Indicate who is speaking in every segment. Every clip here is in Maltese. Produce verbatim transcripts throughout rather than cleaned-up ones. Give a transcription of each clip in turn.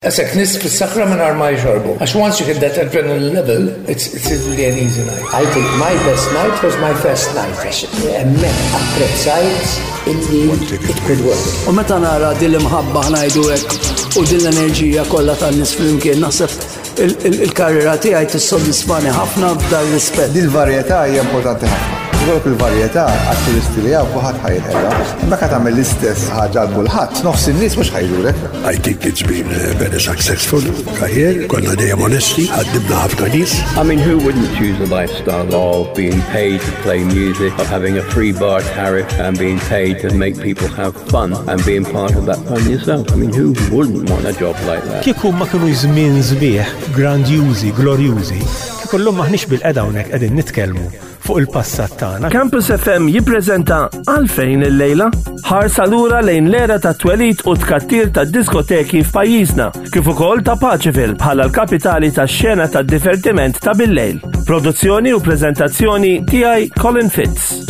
Speaker 1: Għasek nies fis-sakra minn ma jxorbu. Għax once you hit that adrenaline level, it's, it's really an easy night.
Speaker 2: I think my best night was my first night. Għax hemmhekk apprezzajt illi it could work.
Speaker 3: U meta nara din l-imħabba, ħa ngħidu hekk, u din l-enerġija kollha tan-nies flimkien, naħseb il-karriera tiegħi tissodisfani ħafna f'dan rispett.
Speaker 4: Din il-varjetà hija importanti ħafna. Ikollok il-varjetà għat-turisti li hawn kulħadd ħa jinqeda. Imma ka tagħmel l-istess ħaġa għal kulħadd, nofs in-nies mhux ħa jiġulek.
Speaker 5: I think it's been a very successful career. Konna dejjem onesti, ħaddimna ħafna nies.
Speaker 6: I mean, who wouldn't choose a lifestyle of being paid to play music, of having a free bar tariff and being paid to make people have fun and being part of that fun yourself? I mean, who wouldn't want a job like that?
Speaker 7: Kieku ma kienu żmien sbieħ, grandjużi, glorjużi, kieku llum maħniex bilqiegħda hawnhekk qegħdin nitkellmu fuq il-passat tagħna.
Speaker 8: Campus F M jippreżenta Għalfejn il-lejla, ħarsa lura lejn l-era ta' twelid u tkattir ta' diskoteki f'pajjiżna, kif ukoll ta' Paceville bħala l-kapitali ta' xena ta' divertiment ta' bil-lejl. Produzzjoni u preżentazzjoni tiegħi, Colin Fitz.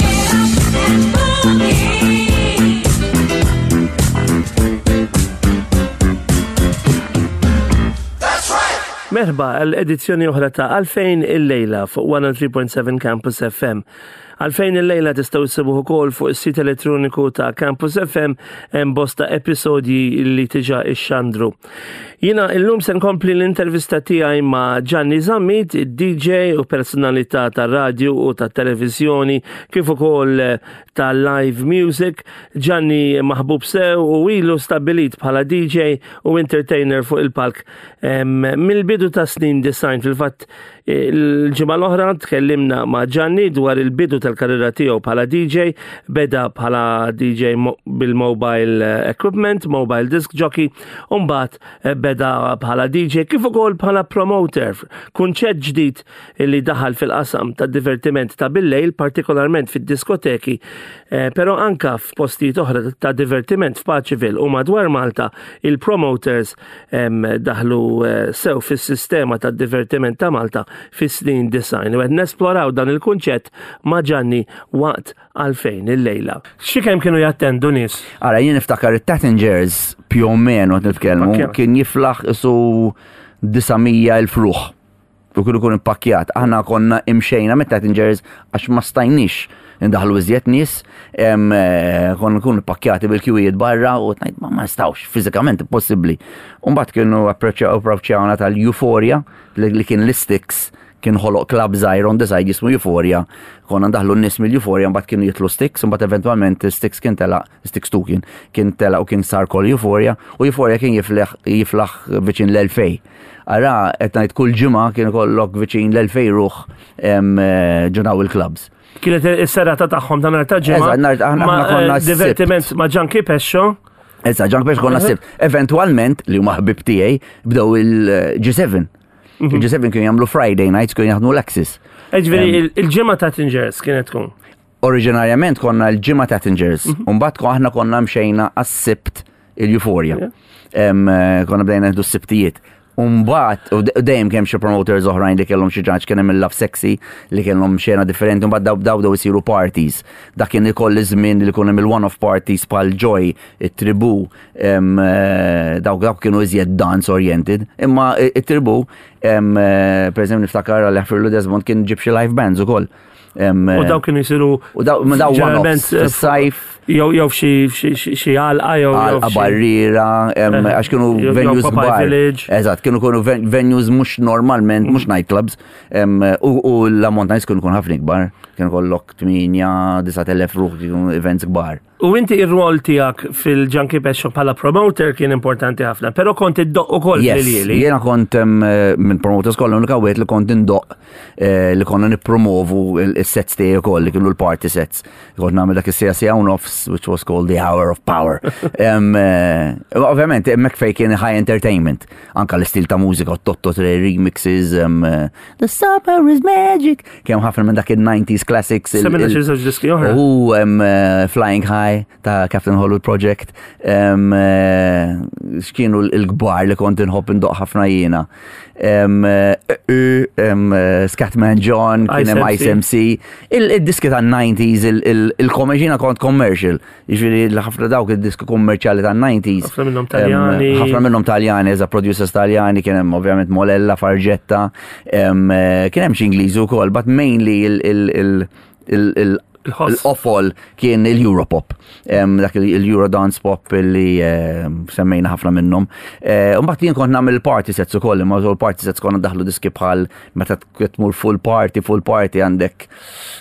Speaker 8: Merħba għal edizzjoni oħra ta' Għalfejn il-lejla fuq one oh three point seven Campus F M. Għalfejn il-lejla tistgħu issibuh ukoll fuq is-sit elettroniku ta' Campus F M, hemm bosta episodji li diġà ixxandru. Jiena illum se nkompli l-intervista tiegħi ma' Gianni Zammit, D J u personalità ta' radio u ta' televizjoni kif ukoll ta' live music. Gianni maħbub sew u ilu stabilit bħala D J u entertainer fuq il-palk mill-bidu ta' snin disgħin. Fil-fatt, il-ġimgħa l-oħra tkellimna ma' Gianni dwar il-bidu tal-karriera tiegħu bħala D J, beda bħala D J bil-mobile equipment, mobile disc jockey, u mbagħad eh, beda bħala D J kif ukoll bħala promoter, kunċett ġdid li daħal fil-qasam ta' divertiment ta' bil-lejl, partikolarment fid-diskoteki, eh, però anka f'postijiet oħra ta' divertiment f'Paceville u madwar Malta, il-promoters daħlu eh, sew fis-sistema ta' divertiment ta' Malta fis-snin disgħin. U qed nesploraw dan il-kunċett ma' Gianni waqt Għalfejn il-lejla. Xi kemm kienu jattendu nies?
Speaker 9: Ara, jien niftakar it-Tattingers, più o meno qed nitkellmu, kien jiflaħ isu disa' mija elf ruħ. U kienu kun ippakjat. Aħna konna imxejna mit-Tattingers għax ma stajniex indaħlu iżjed nies, em, eh, konna nkunu pakkjati bil-kjuwijiet barra u tgħid ma ma nistgħux, fiżikament impossibbli. U mbagħad kienu approachjawna tal-Euphoria li li kien l-Sticks kien ħoloq club żgħir on the side jismu Euphoria. Konna ndaħlu n-nies mill-Euphoria, mbagħad kienu jitlu Sticks, mbagħad eventwalment Sticks kien tela, Sticks two kien kien tela u kien sar kol Euphoria, u Euphoria kien jiflaħ jiflaħ viċin l-elfejn. Ara, qed ngħid kull ġimgħa kien ikollok viċin l-elfejn ruħ em, eh, ġo il-clubs.
Speaker 8: Kienet is-serata tagħhom ta' nhar ta' ġimgħa.
Speaker 9: Eżatt, nhar- aħna-
Speaker 8: ma'
Speaker 9: aħna konna
Speaker 8: eh, divertiment ma' Junkie Pescio.
Speaker 9: Issa, Junkie Pescio konna s-Sibt. Eventualment, li huma ħbib tiegħi, bdew il-G seven. Il-G seven kienu jagħmlu Friday nights, kienu jaħdmu l-Axis.
Speaker 8: Ġifieri il-ġimgħa Tattingers kienet tkun.
Speaker 9: Oriġinarjament konna l-ġimgħa Tattingers, Umbagħad ko aħna konna mxejna għas-Sibt il-Euphoria. Em, eh, Konna bdejna nieħdu s-Sibtijiet. Umbagħad, u de- dejjem kemm xi promoters oħrajn li kellhom xi ġaġ, kien hemm il-Love Sexy li kellhom xena differenti, mbagħad daw daw daw isiru parties. Dak kien ikoll iż-żmien li jkun hemm il-one-off parties bħal Joy, it-Tribu, em, eh, dawk dawk kienu iżjed dance oriented. Imma it-Tribu, em, eh, per eżempju niftakar għal jaħfirlu Desmond, kien ġib xi live bands ukoll. Em,
Speaker 8: U daw kienu jisiru
Speaker 9: U daw, ma daw
Speaker 8: ġeneralment,
Speaker 9: one-offs, fis-sajf.
Speaker 8: jew jew f'xi f'xi- xi għalqa jew jew
Speaker 9: Għalqa
Speaker 8: f'xi-
Speaker 9: barriera, em,
Speaker 8: Eh,
Speaker 9: għax kienu
Speaker 8: jew- jew
Speaker 9: venues
Speaker 8: Popeye
Speaker 9: kbar.
Speaker 8: Village.
Speaker 9: Eżatt, kienu kienu ven- venues mhux normalment, mhux nightclubs, em, u u l-ammont nies kienu kun ħafna kbar, kienu kollok tmienja, disa' elef ruħ, kienu events kbar.
Speaker 8: U inti ir-rol tiegħek fil-Junkie Pescio bħala promoter kien importanti ħafna, però kont iddoqq ukoll
Speaker 9: Yes,
Speaker 8: fil-lili.
Speaker 9: jiena kont em, minn promoters kollha l-unika wieħed li kont indoqq, eh, li konna nippromovu il-sets tiegħi ukoll li kienu l-party sets. Kont nagħmel dak is-siegħa, siegħa u nofs, which was called the Hour of Power. Em, eh, Ovvjament hemmhekk fejn kien high entertainment, anka l-istil ta' mużika, Totto Tre remixes, em, eh, The Summer is Magic, kemm ħafna minn dak il-nineties classics. il-
Speaker 8: Semmilna
Speaker 9: il-
Speaker 8: xi żewġ diski oħra.
Speaker 9: U um, uh, Flying High ta' Captain Hollywood Project. Um, uh, x'kienu l-kbar li kont inħobb indoqq ħafna jiena. Um, uh, um, uh, Scatman John, kien hemm
Speaker 8: Ice
Speaker 9: Ice M C. Il-diski ta' nineties, il-commercial, kont commercial. commercial. Jiġifieri ħafna dawk id-diski kummerċjali tan-nineties.
Speaker 8: Ħafna minnhom Taljani.
Speaker 9: Em, Ħafna minnhom Taljani, eżatt, producers Taljani, kien hemm ovvjament Molella, Fargetta, em, eh, kien hemm xi Ingliżi wkoll, but mainly il- il- il- il- il-
Speaker 8: Il-ħoss.
Speaker 9: l-qofol kien il-Europop, Em, dak il- il-Eurodance pop li em, semmejna ħafna minnhom. Eh, Mbagħad jien kont nagħmel party sets ukoll, imma żol party sets konna daħlu diski bħal meta tmur full party, full party għandek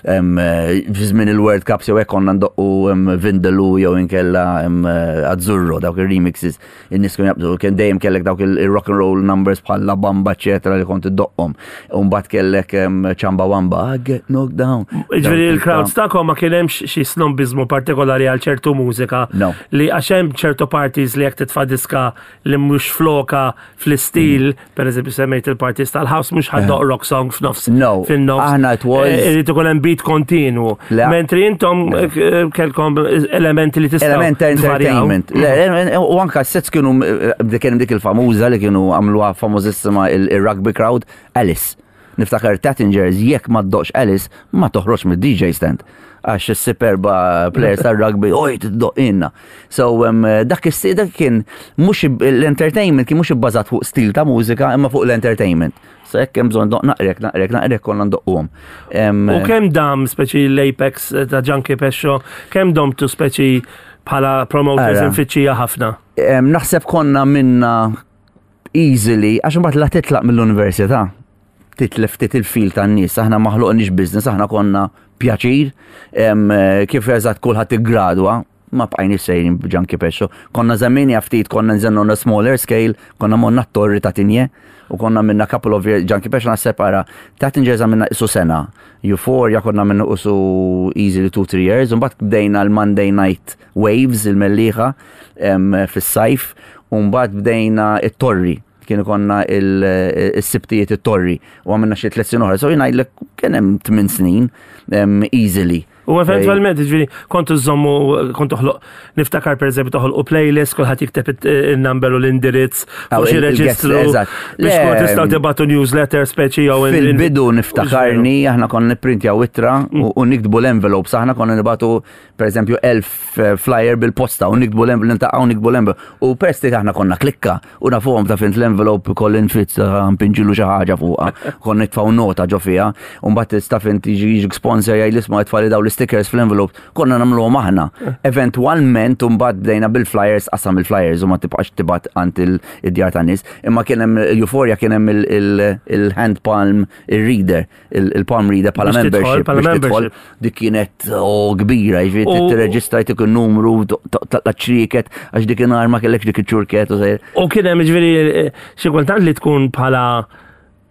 Speaker 9: em, eh, fi żmien il-World Cup jew hekk konna ndoqqu em, Vindaloo jew inkella em, eh, Azzurro, dawk il-remixes, in-nies kienu jaqbżu, kien dejjem kellek dawk il-rock and roll numbers bħal La Bamba, eċetera, li kont iddoqqhom. U mbagħad kellek em, Chamba Wamba, I get knocked down.
Speaker 8: Ġifieri
Speaker 9: Dawk
Speaker 8: il-crowds tagħkom ma kien hemmx xi snobbizmu partikolari għal ċertu mużika.
Speaker 9: No.
Speaker 8: Li għax hemm ċertu parties li jekk titfa' diska li mhux floka fl-istil, per eżempju semmejt il-parties tal-house mhux ħa ddoqq rock song f'nofs.
Speaker 9: No.
Speaker 8: Fin-nofs.
Speaker 9: Aħna it was-
Speaker 8: Eh, Irid ikun hemm beat kontinu.
Speaker 9: Le.
Speaker 8: Mentri intom eh, kellkom elementi li tistgħu
Speaker 9: Element ta'
Speaker 8: tvarjaw.
Speaker 9: entertainment. Le, U anka sets kienu, eh, kien dik il-famuża li kienu għamluha famużissima il-rugby crowd, Alice. Niftakar Tattingers, jekk ma ddoqqx Alice, ma toħroġ mid-D J stand. Għax il-superba players tal-rugby, oj, tiddoq inna. So, um, dak is dak kien mhux l-entertainment kien mhux ibbażat fuq stil ta' mużika, imma fuq l-entertainment. So, jekk hemm bżonn doq naqrek, naqrek, naqrek konna ndoqquhom. Em,
Speaker 8: U kemm dam speċi l-Apex ta' Junkie Pescio, kemm domtu speċi bħala promoters
Speaker 9: Ara.
Speaker 8: infittxija ħafna?
Speaker 9: Em, naħseb konna minna easily, għax imbagħad la titlaq mill-università, titlef ftit il-fil tan-nies, aħna ma ħloqniex business, aħna konna pjaċir, em, eh, kif eżatt kulħadd iggradwa, ma bqajniex sejrin b'Junkie Pescio. Konna żammini ftit, konna nżennu on a smaller scale, konna monna t-torri ta' Tigné, u konna minna couple of years, Junkie Pescio naħseb ara, Tattingers għamilna isu sena, Euphoria konna minna isu easily two, three years, u mbagħad bdejna l-Monday Night Waves, il-Mellieħa, em, fis-sajf, u mbagħad bdejna it-torri, kienu konna il-sibtijiet it-torri u għamilna xi tliet snin oħra. So jien ngħidlek kien hemm tmien snin em, easily.
Speaker 8: U eventualment, ġifieri, kontu żommu, kontu ħloq, niftakar per eżempju toħolqu playlist, kulħadd jikteb il-number u l-indirizz,
Speaker 9: Aw,
Speaker 8: fuq xi
Speaker 9: il- il-guest,
Speaker 8: reġistru,
Speaker 9: eżatt.
Speaker 8: biex
Speaker 9: Le,
Speaker 8: kun tistgħu tibgħatu newsletter speċi jew in- in-
Speaker 9: Fil-bidu niftakarni, aħna konna nipprintjaw ittra u u niktbu l-envelopes, aħna konna nibatu per eżempju elf eh, flyer bil-posta u niktbu l-envelope, niltaqgħu niktbu l-envelope. U peress li aħna konna klikka u nafuhom ta' fint l-envelope Colin Fitz npinġilu xi ħaġa fuqha, konna nitfgħu nota ġo fiha, u mbagħad ta' fint jiġi jiġi sponsor jgħid isma' tfali daw l-stickers fl-envelope, konna nagħmluhom aħna. Eventwalment mbagħad bdejna bil-flyers, qasam il-flyers u ma tibqax tibgħat għand il-djar tan-nies. Imma kien hemm Euphoria kien hemm il-hand palm il-reader, il-palm reader bħala
Speaker 8: Biex tidħol,
Speaker 9: membership.
Speaker 8: bħala
Speaker 9: Biex tidħol.
Speaker 8: membership.
Speaker 9: Dik kienet oh, kbira, jiġifieri
Speaker 8: U-
Speaker 9: tirreġistra jtik il-numru, taqla ċriket, għax dik inhar ma kellekx dik iċ-ċurket u sejr.
Speaker 8: U kien hemm ġifieri eh, xi kultant li tkun bħala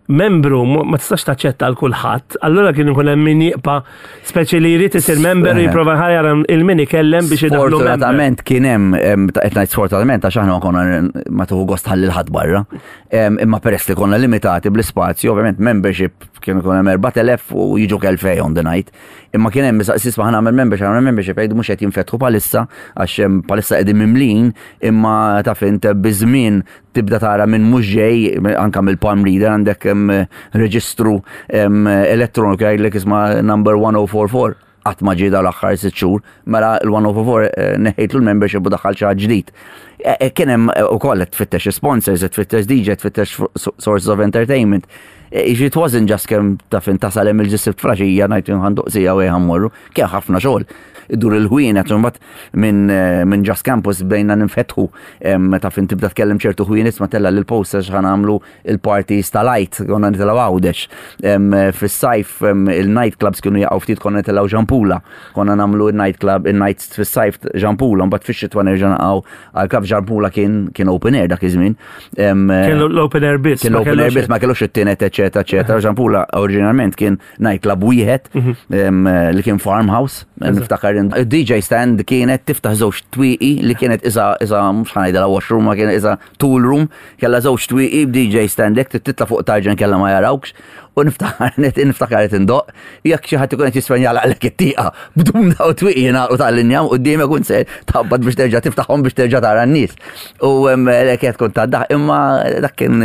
Speaker 8: membru mu- ma tistax taċċetta għal kulħadd, allura kien ikun hemm min jibqa' speċi li jrid isir member u jipprova ħajjar il-min ikellem biex idaħlu member.
Speaker 9: Sfortunatament kien hemm em, ta' qed ngħid sfortunatament għax aħna ma konna ma tuħu gost ħalli l-ħadd barra. Em, Imma peress li konna limitati bl-ispazju, ovvjament membership kien ikun hemm erbat elef u jiġu elfejn on the night. Imma kien hemm sisma ħa nagħmel membership, ħa nagħmel membership, jgħidu mhux qed jinfetħu palissa għax em, palissa qegħdin mimlin, imma taf int biż-żmien tibda tara minn mhux ġej anka mill-palm reader għandek em, reġistru em, elettroniku jgħidlek isma' number one oh four four qatt ma ġie l-aħħar sitt xhur, mela l-one oh four four eh, neħejtlu l-membership u daħħal xi ħadd ġdid. Eh, eh, Kien hemm eh, ukoll qed tfittex sponsors, qed tfittex D J, tfittex sources of entertainment. Eh, Jiġifieri it wasn't just kemm taf int tasal hemm il-ġisib fraxija ngħid ħa ndoqq siegħa u ħa mmorru, kien ħafna xogħol. Idur il-ħwienet, u mbagħad minn eh, minn Just Campus bdejna ninfetħu em, taf int tibda tkellem ċertu ħwienet ma tella l-posters ħa nagħmlu il-parties tal-Għid, konna nitilgħu Għawdex. Em, Fis-sajf em, il-night clubs kienu jaqgħu ftit konna nitilgħu Gianpula. Konna nagħmlu il-night club, il-nights fis-sajf Gianpula, mbagħad fix-xitwa nerġa' naqgħu għal-club Gianpula kien kien open air dak iż-żmien. Em,
Speaker 8: Kien l-open air biss.
Speaker 9: Kien
Speaker 8: ma
Speaker 9: l-open air
Speaker 8: kellux-
Speaker 9: biss, ma kellux it-tienet, eċetera, eċetera. Gianpula oriġinarment kien nightclub wieħed em, li kien farmhouse. Niftakar D J stand kienet tiftaħ żewġ twieqi li kienet isa isa mhux ħa ngħidilha washroom ma kienet isa tool room, kellha żewġ twieqi b'D J stand hekk titla' fuq tarġen kella ma jarawkx. U niftakar niftakar qed indoqq, jekk xi ħadd ikun qed jisfen jagħlaqlek it-tieqa, bdum daw twieqi jingħalqu tal-injam qudiemek u se tħabbat biex terġa' tiftaħhom biex terġa' tara n-nies. U kienet tkun ta' daħk, imma dak kien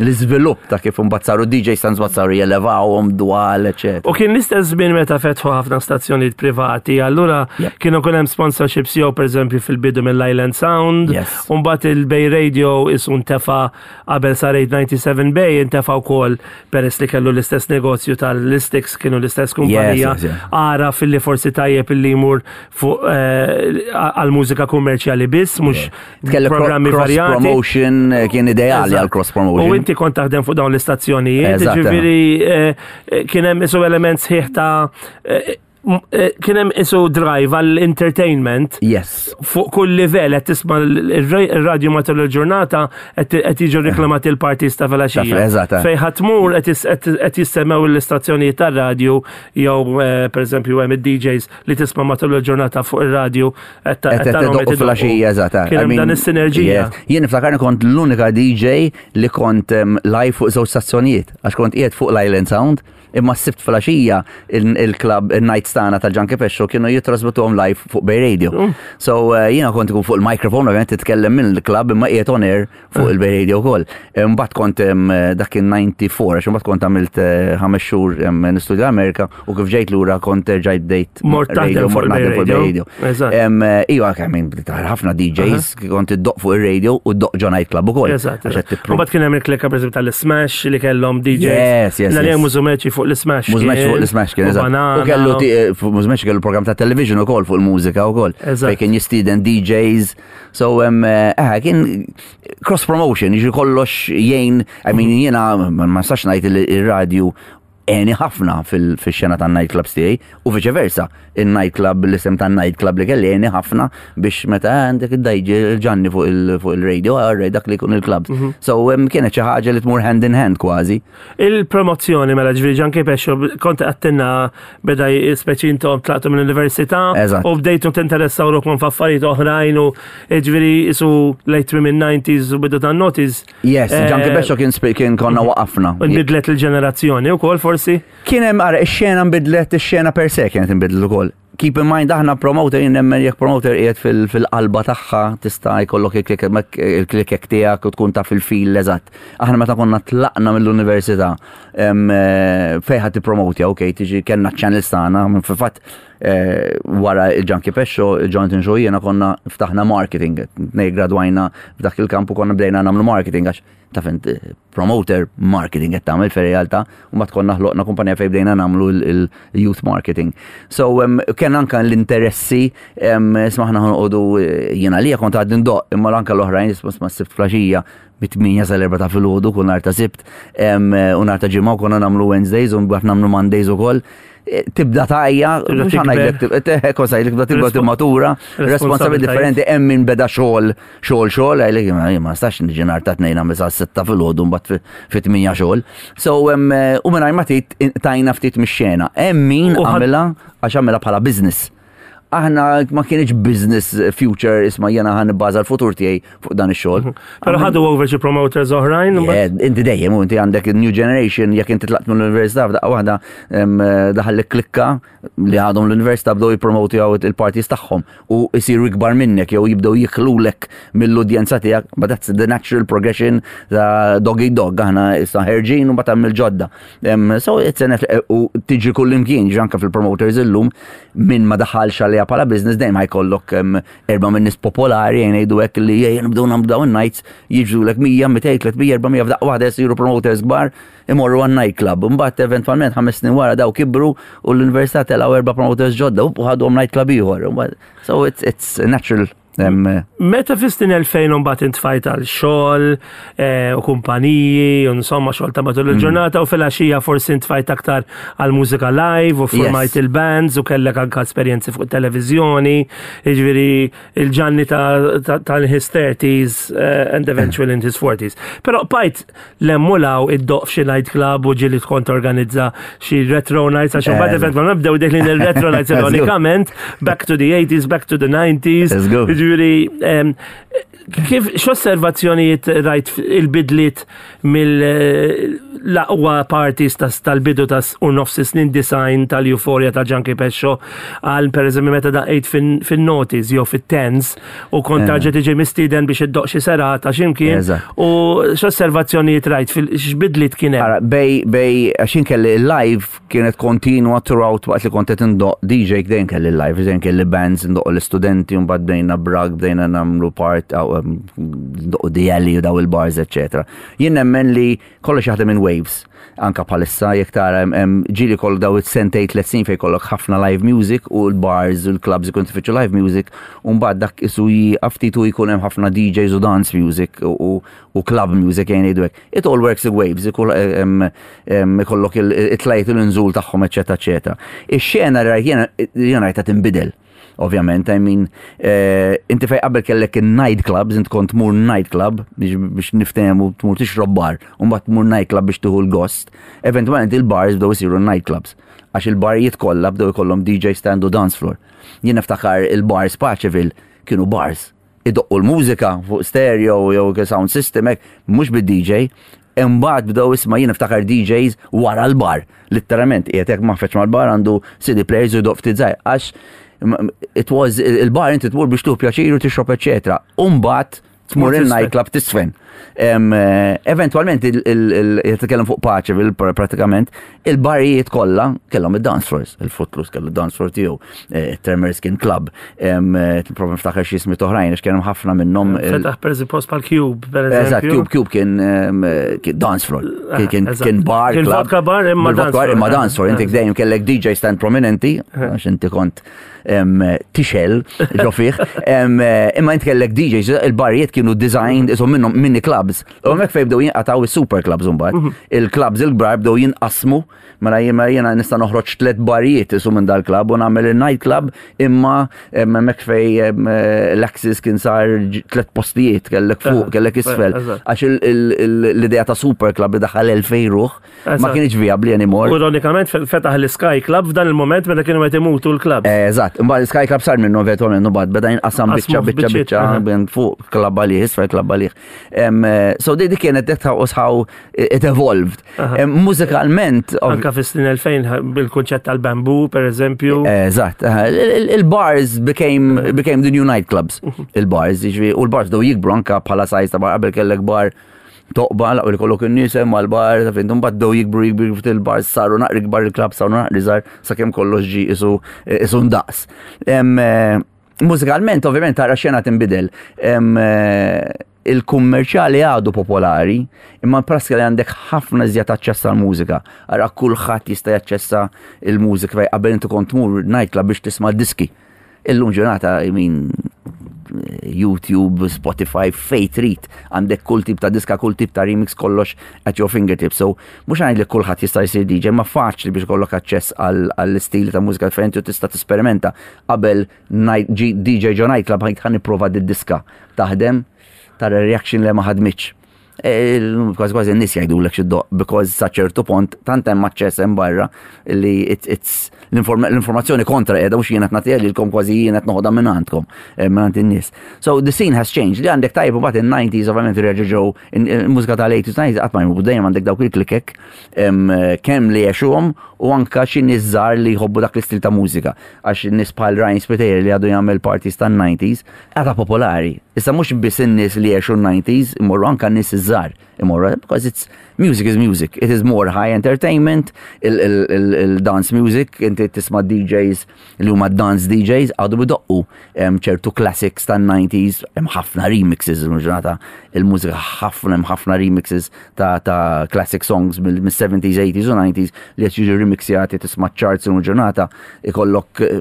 Speaker 9: l-iżvilupp ta' kif imbagħad saru D J stands, mbagħad saru jelevawhom dwal, eċetera.
Speaker 8: U kien l-istess żmien meta fetħu ħafna stazzjonijiet privati, allura kienu kun hemm sponsorships jew pereżempju fil-bidu mill-Island Sound, u mbagħad il-Bay Radio isu ntefa qabel sar eight ninety-seven Bay, intefa wkoll peress li kellu l-istess negozju tal-Listix, kienu l-istess kumpanija.
Speaker 9: Yes, yes, yes.
Speaker 8: Ara fil-li forsi tajjeb illi jmur fuq eh, għal-mużika kummerċjali biss, mhux
Speaker 9: Kellek
Speaker 8: programmi
Speaker 9: cross
Speaker 8: varjati.
Speaker 9: Promotion eh, kien ideali għal cross promotion.
Speaker 8: U inti kont taħdem fuq dawn l-istazzjonijiet,
Speaker 9: Eżatt,
Speaker 8: ġifieri eh, eh, kien hemm isu element sħiħ ta' eh, m- eh, kien hemm isu drive għall-entertainment
Speaker 9: Yes.
Speaker 8: fuq kull livell. Qed tisma' il-radju matul il-ġurnata, qed qed jiġu reklamati l-parties ta' filgħaxija.
Speaker 9: Ta' eżatt, eh.
Speaker 8: Fejn ħa tmur qed jis- qed qed jissemmew l-istazzjonijiet tar-radju jew eh, pereżempju hemm id-D Js li tisma' matul il-ġurnata fuq ir-radju qed ta-
Speaker 9: Qed
Speaker 8: qed tarahom
Speaker 9: idoqqu
Speaker 8: qed idoqqu.
Speaker 9: filgħaxija, eżatt.
Speaker 8: Kien
Speaker 9: I
Speaker 8: hemm
Speaker 9: mean,
Speaker 8: dan is-sinerġija.
Speaker 9: Yes. Jien niftakarni kont l-unika D J li kont em, live fuq żewġ stazzjonijiet, għax kont qiegħed fuq l-Island Sound, imma s-Sibt filgħaxija il-club il-nights tagħna tal-Junkie Pescio kienu jitrasbituhom live fuq Bay Radio.
Speaker 8: Mm.
Speaker 9: So uh, jiena kont ikun fuq il-microphone, ovvjament titkellem mill-club imma qiegħed on air fuq
Speaker 8: Mm.
Speaker 9: il-Bay Radio wkoll. Mbagħad kont em, dak kien disgħa u disgħin, għax imbagħad kont għamilt eh, ħames xhur em, nistudja Amerika u kif ġejt lura kont erġajt bdejt
Speaker 8: Mort taħdem
Speaker 9: radio,
Speaker 8: fuq
Speaker 9: mort
Speaker 8: il-Bay
Speaker 9: naħdem fuq il-Bay
Speaker 8: Radio.
Speaker 9: Radio.
Speaker 8: Eżatt.
Speaker 9: Em, eh, Iwa, I mean, ħafna D Js kont iddoqq fuq il-radio u ddoqq ġo nightclub ukoll.
Speaker 8: Eżatt.
Speaker 9: Għax qed tippru-
Speaker 8: U mbagħad kien hemm il-klikka pereżempju tal-Smash li kellhom D Js.
Speaker 9: Yes, yes,
Speaker 8: Naljem
Speaker 9: yes.
Speaker 8: Mużumeċi fuq l-Smash.
Speaker 9: Mużmeċ fuq
Speaker 8: kien,
Speaker 9: l-Smash kien,
Speaker 8: u
Speaker 9: eżatt.
Speaker 8: Banana.
Speaker 9: U kellu ti- eh, fuq Mużmeċ kellu program ta' television ukoll fuq il-mużika ukoll.
Speaker 8: Eżatt.
Speaker 9: Fejn kien jistieden D Js. So, um, eh, kien cross promotion, jiġi kollox jgħin, I mean, jiena ma ma nistax ngħid li il-radio għeni ħafna fil-xena ta' nightclubs tiegħi u vice versa. Il-nightclub, l-isem ta' nightclub li kelli għeni ħafna biex meta għandek id-D J il-Ġanni fuq il- fuq il-radio, għarrej dak li jkun il-clubs. So um, kienet xi ħaġa li tmur hand in hand kważi.
Speaker 8: Il-promozzjoni mela, ġifieri Junkie Pescio kont għattinna beda speċi intom tlaqtu mill-università
Speaker 9: Eżatt.
Speaker 8: u bdejtu tinteressaw ruħkom f'affarijiet oħrajn u ġifieri isu late minn nineties u bidu tan noughties.
Speaker 9: Yes,
Speaker 8: Eh,
Speaker 9: Junkie Pescio kien spi- kien konna waqafna.
Speaker 8: Nbidlet il-ġenerazzjoni u kol forsi?
Speaker 9: Kien hemm, ara, ix-xena nbidlet, ix-xena per se kienet inbidlet ukoll. Keep in mind, aħna promoter, jien nemmen jekk promoter qiegħed fil- fil-qalba tagħha tista' jkollok il-klikek tiegħek u tkun taf il-fil eżatt. Aħna meta konna tlaqna mill-università em, eh, fejn ħadd tippromotja, okej, tiġi kellna channels tagħna, minn fil-fatt eh, wara il-Junkie Pescio, il-Jonathan Shaw, jiena konna ftaħna marketing, nej gradwajna f'dak il-kampu, konna bdejna nagħmlu marketing għax taf int, eh, promoter marketing qed tagħmel fir-realtà, u mbagħad konna ħloqna kumpanija fejn bdejna nagħmlu il-youth marketing. So um, kien anka l-interessi um, smaħna ħanqodu jiena li kont għad ndoqq, imma anka l-oħrajn isma' sma Sibt filgħaxija mit-tmienja sal-erbgħa ta' filgħodu kull nhar ta' Sibt em, u nhar ta' Ġimgħa, u konna nagħmlu Wednesdays u mbagħad nagħmlu Mondays ukoll. Eh, Tibda tajja,
Speaker 8: Tibda
Speaker 9: mhux ħa ngħidlek
Speaker 8: tikber.
Speaker 9: tib- kont ngħidlek tibda tibda
Speaker 8: Respo-
Speaker 9: timmatura, responsabili
Speaker 8: Responsabilitajiet.
Speaker 9: differenti, hemm min beda xogħol, xogħol, xogħol, għajlek ma ma nistax niġi nhar ta' Tnejn nagħmel sa sitta filgħodu mbagħad fi- fit-tmienja xogħol. So em, eh, u mingħajr ma tgħid tajna ftit mix-xena. Hemm min
Speaker 8: U ħad-
Speaker 9: għamilha għax għamilha bħala business. Aħna ma kienx business future, isma' jiena ħa nibbaża l-futur tiegħi fuq dan ix-xogħol.
Speaker 8: Pero ħadu over xi promoters oħrajn.
Speaker 9: Yeah, inti dejjem, u inti għandek new generation, jekk inti tlaqt mill-università, f'daqqa waħda em, daħal klikka li għadhom l-università bdew jippromoti għaw il-parties tagħhom u jsiru ikbar minnek jew jibdew jiklulek mill-udjenza tiegħek, but that's the natural progression ta' dog eat dog, aħna issa ħerġin u mbagħad hemm il-ġodda. Em, So it's an u tiġi kull imkien, ġi anke fil-promoters illum min ma daħalx għaliha bħala business dejjem ħa jkollok em, erba' minn nies popolari jgħin jgħidu hekk li jgħin nibdew nagħmlu dawn nights, jiġu lek mija, mitejn, tliet mija, erba' mija f'daqqa waħda jsiru promoters kbar imorru għan nightclub. Mbagħad eventwalment ħames snin wara daw kibru u l-università telgħu erba' promoters ġodda u ħadhom nightclub ieħor. Mbagħad- So it's it's natural. Em,
Speaker 8: Meta fis-snin elfejn mbagħad intfajt għal xogħol eh, u kumpaniji u insomma xogħol ta' matul il-ġurnata u filgħaxija forsi intfajt aktar għal mużika live u formajt
Speaker 9: Yes.
Speaker 8: il-bands u kellek anka esperjenzi fuq televiżjoni, jiġifieri il-Ġanni ta' ta' ta' his thirties eh, and eventually in his forties. Però bqajt l-emmulaw id-doq f'xi nightclub u ġieli tkun torganizza xi retro nights, għax imbagħad
Speaker 9: Eh.
Speaker 8: eventwalment bdew deħlin il-retro nights
Speaker 9: Let's go.
Speaker 8: ironikament, back to the eighties, back to the nineties.
Speaker 9: Let's go.
Speaker 8: Jiġifieri Jiġifieri, em, kif x'osservazzjonijiet rajt il-bidliet mill-aqwa parties tas- tal-bidu tas u nofs snin disgħin tal-Euphoria ta' Junkie Pescio għal per eżempju meta daqqejt fin-noughties jew fit-tens u kont tarġa' tiġi mistieden biex iddoqq xi serata x'imkien
Speaker 9: Eżatt.
Speaker 8: u x'osservazzjonijiet rajt fil x'bidliet kien hemm.
Speaker 9: Ara, bej, bej, għaxin kelli live kienet kontinua throughout waqt li kont qed indoqq D J, dejjem kelli live, dejjem kelli bands, ndoqq l-istudenti, mbagħad bdejna brag, bdejna nagħmlu part, aw, um, ndoqqu D L u daw il-bars, eccetera. Jien nemmen li kollox jaħdem in waves. Anka bħalissa, jekk tara hemm- hemm ġieli kollu daw it-sentejn tliet snin fejn kollok ħafna live music u l-bars u l-clubs ikun tfittxu live music u mbagħad dak isu jieqaf ftit u jkun hemm ħafna D Js u dance music u, u, u club music jgħin jgħidu hekk. It all works in waves, ikun em, em, ikollok it-tlajt u l-nżul tagħhom, eċetera, eċetera. Ix-xena rajt jiena jiena rajta tinbidel. Ovvjament, I mean, eh, inti fej qabel kellek il-night clubs, inti kont tmur night club biex, biex niftehmu tmur tixrob bar, u mbagħad tmur night club biex tieħu l-gost. Eventualment il-bars bdew isiru night clubs. Għax il-barijiet kollha bdew ikollhom D J stand u dance floor. Jien niftakar il-bars Paceville kienu bars. Idoqqu l-mużika fuq stereo jew sound system hekk, mhux bid-D J. Imbagħad bdew isma' jien niftakar D Js wara l-bar. Literalment, qiegħed hekk maħfeġ mal-bar, għandu C D players u jdoqq ftit żgħir. Għax it was il-bar inti tmur biex tieħu pjaċir u tixrob, eċetera. Umbagħad tmur il-nightclub tisfen. Em, eh, Eventualment, jitkellem fuq Paceville pratikament, il-barijiet kollha kellhom id-dance floors. Il-Footloose kellu dance floor tiegħu, eh, Tremors kien club, em, eh, Prova niftakar xi ismi oħrajn, għax kienu ħafna minnhom. il-
Speaker 8: Fetaħ per eżempju post pal Cube, per
Speaker 9: Eżatt,
Speaker 8: eżempju.
Speaker 9: Cube, Cube kien em, kien dance floor, kien- kien
Speaker 8: Eżatt.
Speaker 9: kien bar,
Speaker 8: Kien
Speaker 9: club.
Speaker 8: vodka bar imma
Speaker 9: Bil-vodka
Speaker 8: dance
Speaker 9: bar
Speaker 8: floor.
Speaker 9: imma dance floor, inti dejjem kellek D J stand prominenti, għax inti kont em, tixel ġo fih, Em, eh, imma inti kellek D Js, il-barijiet kienu designed, isom minnhom mini clubs. U hemmhekk fejn bdew jinqataw is-super clubs mbagħad. Il-clubs il-kbar bdew jinqasmu, mela jiena jiena nista' noħroġ tliet barijiet isu minn dal-club u nagħmel il-night club, imma em, hemmhekk fej em, eh, l-Axis kien sar ġ- tliet postijiet, kellek fuq, kellek isfel.
Speaker 8: Eżatt.
Speaker 9: Għax il- il- il- l-idea ta' super club li daħal elfejn ruħ ma
Speaker 8: Eżatt.
Speaker 9: kienx viabli anymore.
Speaker 8: U ironikament fetaħ l-Sky Club f'dan il-moment meta kienu qed imutu l-club.
Speaker 9: Eh, Eżatt, imbagħad Sky Club sar minnu eventualment mbagħad beda jinqasam biċċa
Speaker 8: Qasmu
Speaker 9: biċċa
Speaker 8: f'biċċiet,
Speaker 9: biċċa
Speaker 8: aha.
Speaker 9: bejn fuq club għalih, isfel club għalih. Em, eh, So di di kienet that was how it evolved. Em, Mużikalment, ov-
Speaker 8: Anka fis-snin elfejn bil-kunċett tal-bamboo, per eżempju.
Speaker 9: Eżatt, aha, il- il- il-bars became became the new nightclubs. Il-bars, jiġifieri, u l-bars bdew jikbru anka bħala size ta' bar, qabel kellek bar toqba, laqgħu li kollok in-nies hemm mal-bar, ta' fin, mbagħad bdew jikbru jikbru jikbru, il-bars saru naqri kbar, il-club saru naqri żgħar sakemm kollox ġi isu isu ndaqs. Em, eh, Mużikalment, ovvjament, tara xena tinbidel. Em, eh, Il-kummerċjali għadu popolari, imma praska li għandek ħafna iżjed aċċess għal mużika. Ara kulħadd jista' jaċċessa il-mużika fej qabel inti kont tmur nightclub biex tisma' diski. Illum ġurnata, I mean, YouTube, Spotify, fej trid, għandek kull tip ta' diska, kull tip ta' remix, kollox at your fingertips. So, mhux għajd li kulħadd jista' jsir D J, ma faċli biex kollok aċċess għall-istili ta' mużika differenti u tista' tesperimenta. Qabel night- G- D J ġo nightclub ħajt ħa nipprova di diska taħdem, tara reaction li ma ħadmitx. E, Kważi kważi n-nies jgħidulek x'iddoqq, because sa ċertu punt tant hemm aċċess hemm barra li it's- it's l-inform- l-informazzjoni kontra qiegħda, mhux jien qed nagħtiha lilkom, kważi jien qed noħodha minn għandkom, eh, minn għand in-nies. So the scene has changed. Li għandek tajb u mbagħad in-nineties ovvjament reġgħu ġew il-mużika tal-eighties, nineties qatt ma jmur, dejjem għandek dawk il-klikek em, kemm li għexuhom u anka xi nies żgħar li jħobbu dak l-istil ta' mużika. Għax in-nies bħal Ryan Spiteri li għadu jagħmel parties tan-nineties għadha popolari. Issa mhux biss in-nies li għexu n-nineties imorru, anka n-nies iż-żgħar imorru, because it's music is music. It is more high entertainment, il-dance music, inti tisma' D Js li huma dance D Js għadu bidoqqu em, ċertu classics tan-nineties, hemm ħafna remixes il-ġurnata, il-mużika ħafna hemm ħafna remixes ta' ta' classic songs mill-seventies, eighties u nineties li qed jiġu remixjati, tisma' charts il-ġurnata ikollok eh,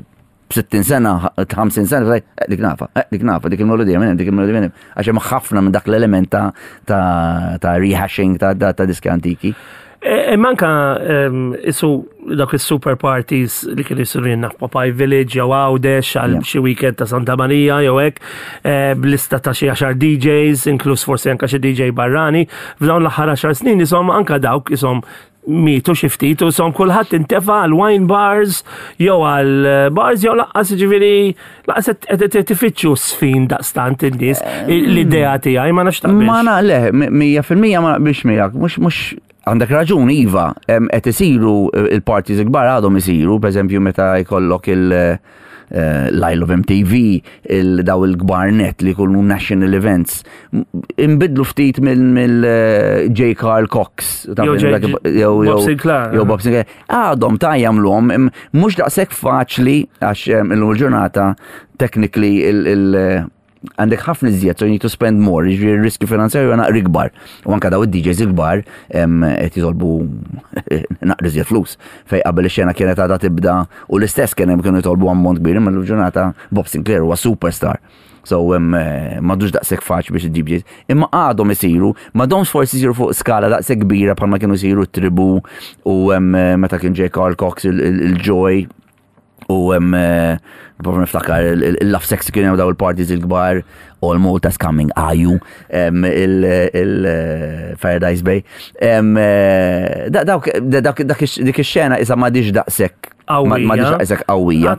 Speaker 9: sittin sena, ħamsin sena, eh, dik nafa, eh, dik nafa, dik il-melodija minn, dik il-melodija minn, għax hemm ħafna minn dak l-element ta' ta' ta' rehashing ta' ta' ta' diski antiki.
Speaker 8: E manka em, isu dak il-super parties li kienu jisiru jenna Popeye Village jew Għawdex għal
Speaker 9: Yeah.
Speaker 8: xi weekend ta' Santa Maria jew hekk, eh, b'lista ta' xi għaxar D Js, inkluż forsi anka xi D J barrani. F'dawn l-aħħar għaxar snin isom anka dawk isom Mietu xi ftit u som kulħadd intefa' għal wine bars jew għal eh, bars jew lanqas, ġifieri lanqas qed tifittxu sfin daqstant in-nies, l-idea tiegħi, ma nafx taqbilx.
Speaker 9: Ma na, le, mija fil-mija ma naqbilx miegħek, mhux mhux għandek raġun, iva, qed isiru eh, il-parties kbar, għadhom isiru, pereżempju meta jkollok il- eh, l-Isle of M T V, il-daw il-kbar net li jkunu national events. Imbidlu ftit mill J. Carl Cox.
Speaker 8: Jew J- Bob Sinclair.
Speaker 9: Jew Bob Sinclair. Għadhom ta' jagħmluhom, mhux daqshekk faċli għax illum il-ġurnata technically il- il- għandek ħafna iżjed, so you need to spend more, jiġifieri riskju finanzjarju naqra ikbar. U anka daw id-D Js il-kbar qed jitolbu naqra iżjed flus. Fej qabel ix-xena kienet għadha tibda u l-istess kien hemm kienu jitolbu ammont kbir, imma l-ġurnata Bob Sinclair huwa superstar. So m'għadux daqshekk faċli biex id-D Js. Imma għadhom isiru, m'għadhomx forsi isiru fuq skala daqshekk kbira bħalma kienu isiru Tribu u meta kien J. Carl Cox il-Joy u hemm prova niftakar il-Love Sex, kienu daw il-parties il-kbar, All Malta's Coming, Aju, il-Paradise Bay. Dawk dik ix-xena isa m'għadhiex daqshekk m'għadhiex daqshekk qawwija.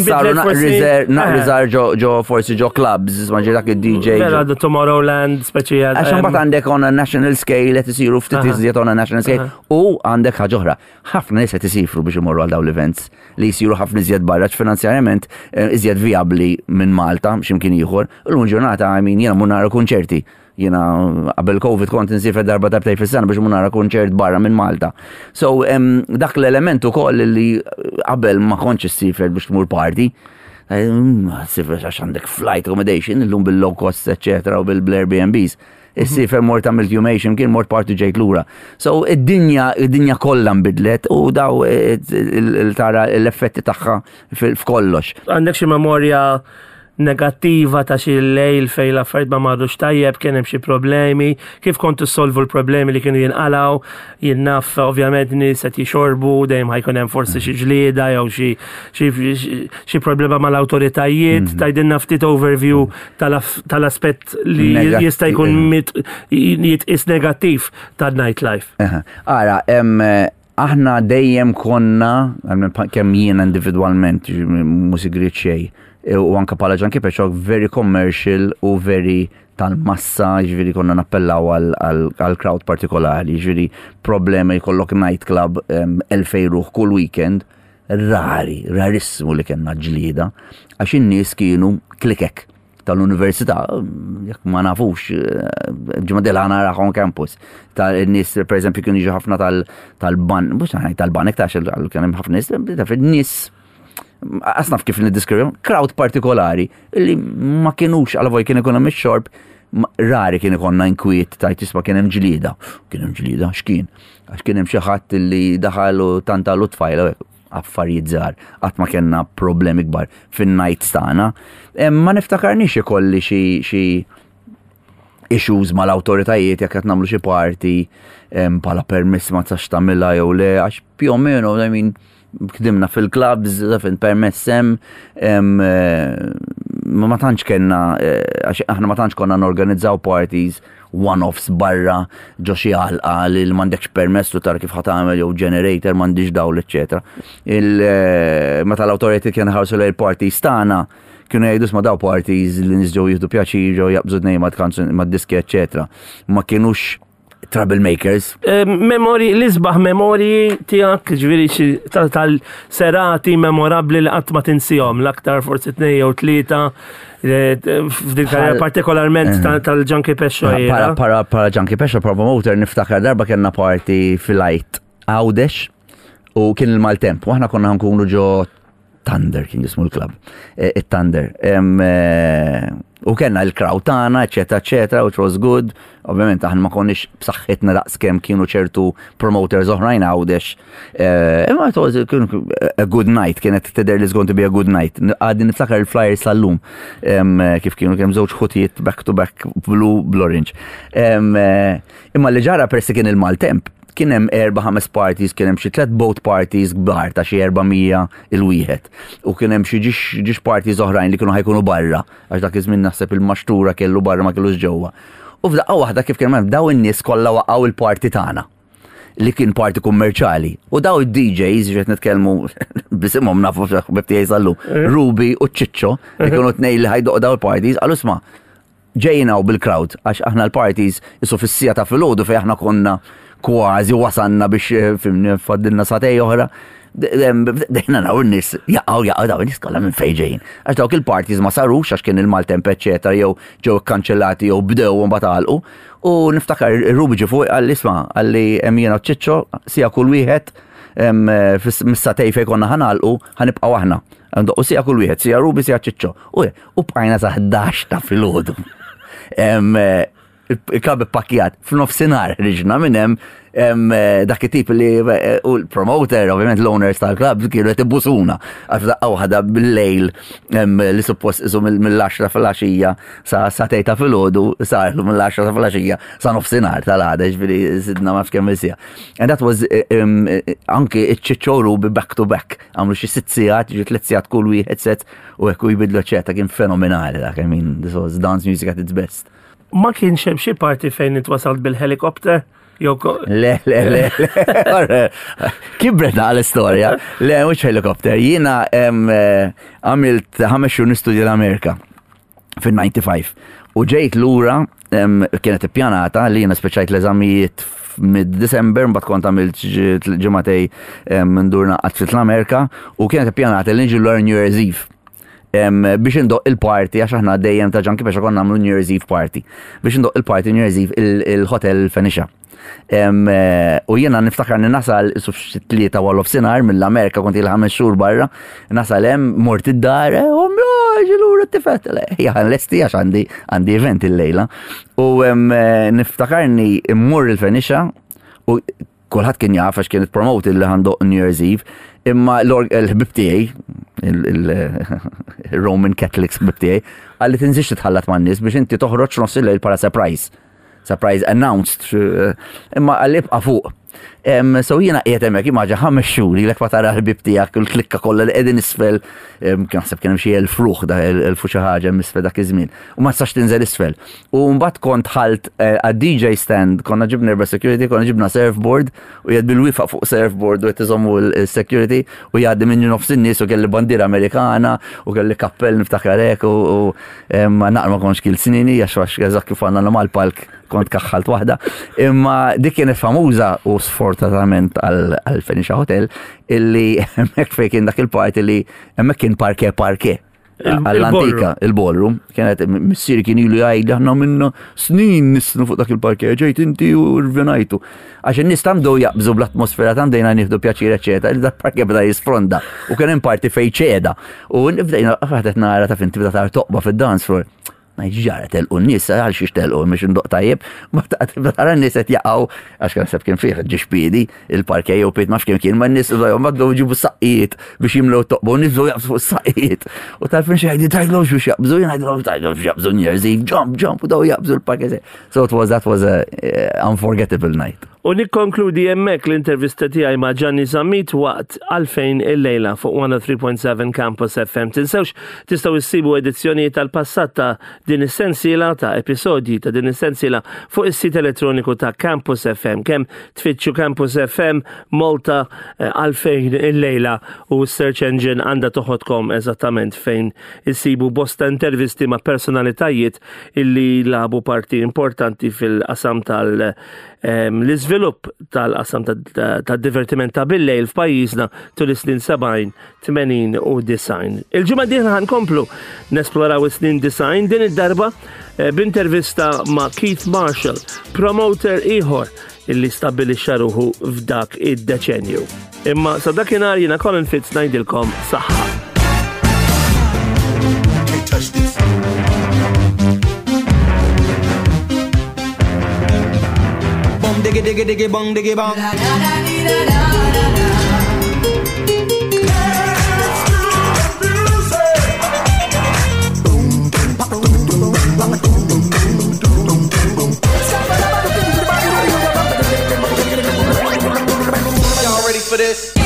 Speaker 9: Saru naqra żgħar ġo forsi ġo clubs, ma ġi dak id-D J.
Speaker 8: Vera, the Tomorrowland, speċi.
Speaker 9: Għax mbagħad għandek on a national scale qed isiru ftit iżjed on a national scale u għandek ħaġa oħra. Ħafna nies qed isifru biex imorru għal dawn l-events li jsiru ħafna iżjed barra, finanzjarjament iżjed viabli minn Malta x'imkien ieħor. Illum ġurnata, I mean, jiena mmur nara konċerti. Jiena qabel Covid kont insiefer darba darbtejn fis-sena biex mmur nara konċert barra minn Malta. So dak l-element ukoll li qabel ma kontx issiefer biex tmur party. Siefer għax għandek flight, accommodation, illum bil-low cost, eccetera, u bil-Airbnbs. Issiefer mort għamilt jumejn, kien mort party, ġejt lura. So id-dinja, id-dinja kollha nbidlet u daw tara l-effetti tagħha f'kollox.
Speaker 8: Għandek xi memorja negattiva ta' xi lejl fej l-affarijiet ma marrux tajjeb, kien hemm xi problemi, kif kontu solvu l-problemi li kienu jinqalaw? Jien naf ovvjament nies qed jixorbu, dejjem ħa jkun hemm forsi xi ġlieda jew xi xi problema mal-awtoritajiet, tgħidilna ftit overview tal-aspett li jista' jkun jitqis negattiv tan-nightlife.
Speaker 9: Ara, aħna dejjem konna, kemm jiena individwalment, mhu sigriet xejn, u anka bħala Junkie Petro, very commercial u very tal-massa, ġifieri konna nappellaw għal crowd partikolari, ġifieri problemi jkollok nightclub elfej ruħ kull weekend, rari, rarissimu li kellna ġlieda, għax in-nies kienu klikek tal-università, jekk ma nafux, ġimgħa dil naraħon campus, tal-nies, per eżempju, kienu jiġu ħafna tal-ban, mhux tal-banek, ta' kien hemm ħafna nies, nies asnaf kif niddeskrivu, crowd partikolari, li ma kienux, għal voj kien ikun hemm ix-xorb, rari kien ikonna inkwiet ta' tisma' kien hemm ġlieda. Kien hemm ġlieda, x'kien? Għax kien hemm xi ħadd li daħal u tanta l tfajla, affarijiet żgħar, qatt ma kellna problemi kbar fin-nights tagħna. Ma niftakarniex ikolli xi xi issues mal-awtoritajiet jekk qed nagħmlu xi party bħala permess ma tistax tagħmilha jew le, għax più o meno, I mean, kdimna fil-clubs, fin permess hemm, ma tantx kellna, għax aħna ma tantx konna norganizzaw parties one-offs barra ġo xi għalqa li m'għandekx permess u tara kif ħa tagħmel jew generator m'għandix dawl, eċetera. Meta l-awtoritajiet kienu ħarsu lejn parties tagħna, kienu jgħidu ma daw parties li nies ġew jieħdu pjaċir, ġew jaqbżu tnejn mad-diski, eċetera. Ma kienux troublemakers.
Speaker 8: Memori, l-isbaħ memori tiegħek, ġifieri xi tal-serati memorabli li qatt ma tinsihom, l-aktar forsi tnejn jew tlieta, f'din karriera partikolarment tal-Junkie Pescio.
Speaker 9: Para, para, para Junkie Pescio, promoter, niftakar darba kellna party fil-Għid Għawdex u kien il-maltemp, u aħna konna nkunu ġo Thunder, kien jismu l-club, il-Thunder. U kellna il-crowd tagħna, eċetera, eċetera, which was good. Ovvjament aħna ma konniex b'saħħitna daqs kemm kienu ċertu promoters oħrajn Għawdex. Imma it was a good night, kienet tidher li going to be a good night. Għadni niftakar il-flyers sal-lum kif kienu, kemm żewġ ħutijiet back to back, blue, blue orange. Imma li ġara, persi kien il-maltemp, kien hemm erba' ħames parties, kien hemm xi tliet boat parties kbar ta' xi erba' mija il-wieħed. U kien hemm xi ġiex parties oħrajn li kienu ħa jkunu barra, għax dak iż-żmien naħseb il-maxtura kellu barra, ma kellux ġewwa. U f'daqqa waħda kif kien hemm daw in-nies kollha waqgħu il-party tagħna. li kien party kummerċali. U daw id-D Js, ġet nitkellmu b'isimhom, nafu ħbieb tiegħi sal-lum, Ruby u Ċiċċo, li kienu tnej li ħa jdoqqu daw il-parties, qalu, "Isma', ġejna u bil-crowd, għax aħna l-parties jisu fis-siegħa ta' filgħodu fej aħna konna kważi wasanna biex eh, fimni faddilna sagħtejn oħra. Dejna naraw n-nies jaqgħu jaqgħu, daw n-nies kollha minn fejn ġejjin. Għax dawk il-parties ma sarux għax kien il-maltemp eċetera, jew ġew ikkanċellati jew bdew u mbagħad għalqu. U niftakar Ruby ġie fuq, qalli, "Isma'," qalli, "hemm jiena u Ċiċċo siegħa kull wieħed mis-sagħtejn fejn konna ħa nagħlqu ħa nibqgħu aħna. U siegħa kull wieħed, siegħa Ruby, siegħa Ċiċċo." U u bqajna sa ħdax ta' filgħodu. Il-club pakkjat, f'nofsinhar ħriġna minn hemm dak it-tip li u l-promoter, ovvjament l-owners tal-club kienu qed ibusuna għax daqqa waħda bil-lejl li suppost isu mill-għaxra filgħaxija sa sagħtejn ta' filgħodu sarlu mill-għaxra ta' filgħaxija sa nofsinhar tal-għada, ġifieri sidna ma kemm siegħa. And that was anki iċ-Ċiċċo Ruby back to back, għamlu xi sitt sigħat, ġi tliet sigħat kull wieħed set u hekk u jbidlu ċeta, kien fenomenali dak, I mean, this was dance music at its best.
Speaker 8: Ma kienx hemm xi party fejn intwasalt bil-helikopter? Jew
Speaker 9: Le, le, le, le. Kibret għal-istorja. Le, mhux helikopter. Jiena għamilt ħames xhur nistudja l-Amerika fil-ħamsa u disgħin. U ġejt lura, kienet ippjanata li jiena speċajt l-eżamijiet mid-December, mbagħad kont għamilt ġimagħtejn ndur naqgħod fl-Amerika u kienet ippjanata li niġi l New Year's Eve biex indoqq il-party, għax aħna dejjem ta' Junkie Pesha konna nagħmlu New Year's Eve party. Biex indoqq il-party New Year's Eve il-Hotel Phoenicia. U jiena niftakar ni nasal su tlieta wara nofsinhar mill-Amerika, kont ili ħames xhur barra, nasal hemm, mort id-dar, u ġilura t-tifet, jaħan lesti għax għandi għandi event il-lejla. U niftakarni immur il-Phoenicia u kulħadd kien jaf għax kienet promoted li ħa ndoqq New Year's Eve, imma l-ħbib tiegħi, il-Roman Catholics ħbib tiegħi, qalli tinżilx titħallat man-nies biex inti toħroġ nofs il-lejl para surprise. Surprise announced, imma qalli ibqa' fuq. So jiena qiegħed hemmhekk, immaġina ħames xhur ilek ma tara l-ħbib tiegħek u l-klikka kollha li qegħdin isfel, kien naħseb kien hemm xi elf ruħ da elf u xi ħaġa isfel dak iż-żmien. U ma tistax tinżel isfel. U mbagħad kont ħalt għad-D J stand, konna ġibna erba' security, konna ġibna surfboard u jgħid bil-wieqfa fuq surfboard u qed iżommu l-security u jgħaddi minn nofs in-nies u kelli bandiera Amerikana u kelli kappell niftakar hekk u naqra ma kontx kil snini għax għax eżatt kif għandna mal-palk kont kaħħalt waħda. Imma dik kienet famuża u sfortunatament għal Phoenicia Hotel illi hemmhekk fejn kien dak il-party li hemmhekk kien parquet parquet. Għall-antika, il-ballroom, kienet missieri kien ilu jgħid aħna minna snin nisnu fuq dak il-parquet, ġejt inti u rvinajtu. Għax in-nies tamdu jaqbżu bl-atmosfera, tant bdejna nieħdu pjaċir eċetera, il dak parquet bda jisfronda u kien hemm parti fejn ċeda. U bdejna għadet nara ta' fin tibda tara toqba fid-dance floor. Ngħid, ġara telqu n-nies, għal xiex telqu, mhux indoqq tajjeb, ma tara n-nies qed jaqgħu, għax kien seb kien fih ġiex piedi, il-parquet jew pied ma kien kien, ma n-nies ma bdew jġibu saqqijiet biex jimlew toqbu, n-nies bdew jaqbżu fuq saqqijiet. U tal-fin xi jgħidu tgħidlhomx biex jaqbżu, jien ngħidlhom tgħidlhomx biex jaqbżu New Year's Eve, jump, jump, u daw jaqbżu l-parquet. So it was, that was a uh, unforgettable night.
Speaker 8: U nikkonkludi hemmhekk l-intervista tiegħi ma' Gianni Zammit waqt Għalfejn il-lejla fuq mija u tlieta punt seba' Campus F M. Tinsewx tistgħu issibu edizzjoni tal-passat ta' din is-sensiela ta' episodji ta' din is-sensiela fuq is-sit elettroniku ta' Campus F M. Kemm tfittxu Campus F M Malta Għalfejn il-lejla u search engine għandha toħodkom eżattament fejn issibu bosta intervisti ma' personalitajiet illi lagħbu parti importanti fil-qasam tal- l-iżvilupp tal-qasam tad-divertiment ta' bil-lejl f'pajjiżna tul is-snin sebgħin, tmenin u disgħin. Il-ġimgħa dieħla ħankomplu nesploraw is-snin disgħin, din id-darba b'intervista ma' Keith Marshall, promoter ieħor illi stabbilixxa ruħu f'dak id-deċenju. Imma sa dakinhar jiena Colin Fitz ngħidilkom saħħa.
Speaker 10: Can't touch this. Bum diggy diggy diggy bong diggy bong. La la la la la la la. Dance to the music. Boom boom boom boom boom boom boom boom boom. Y'all ready for this?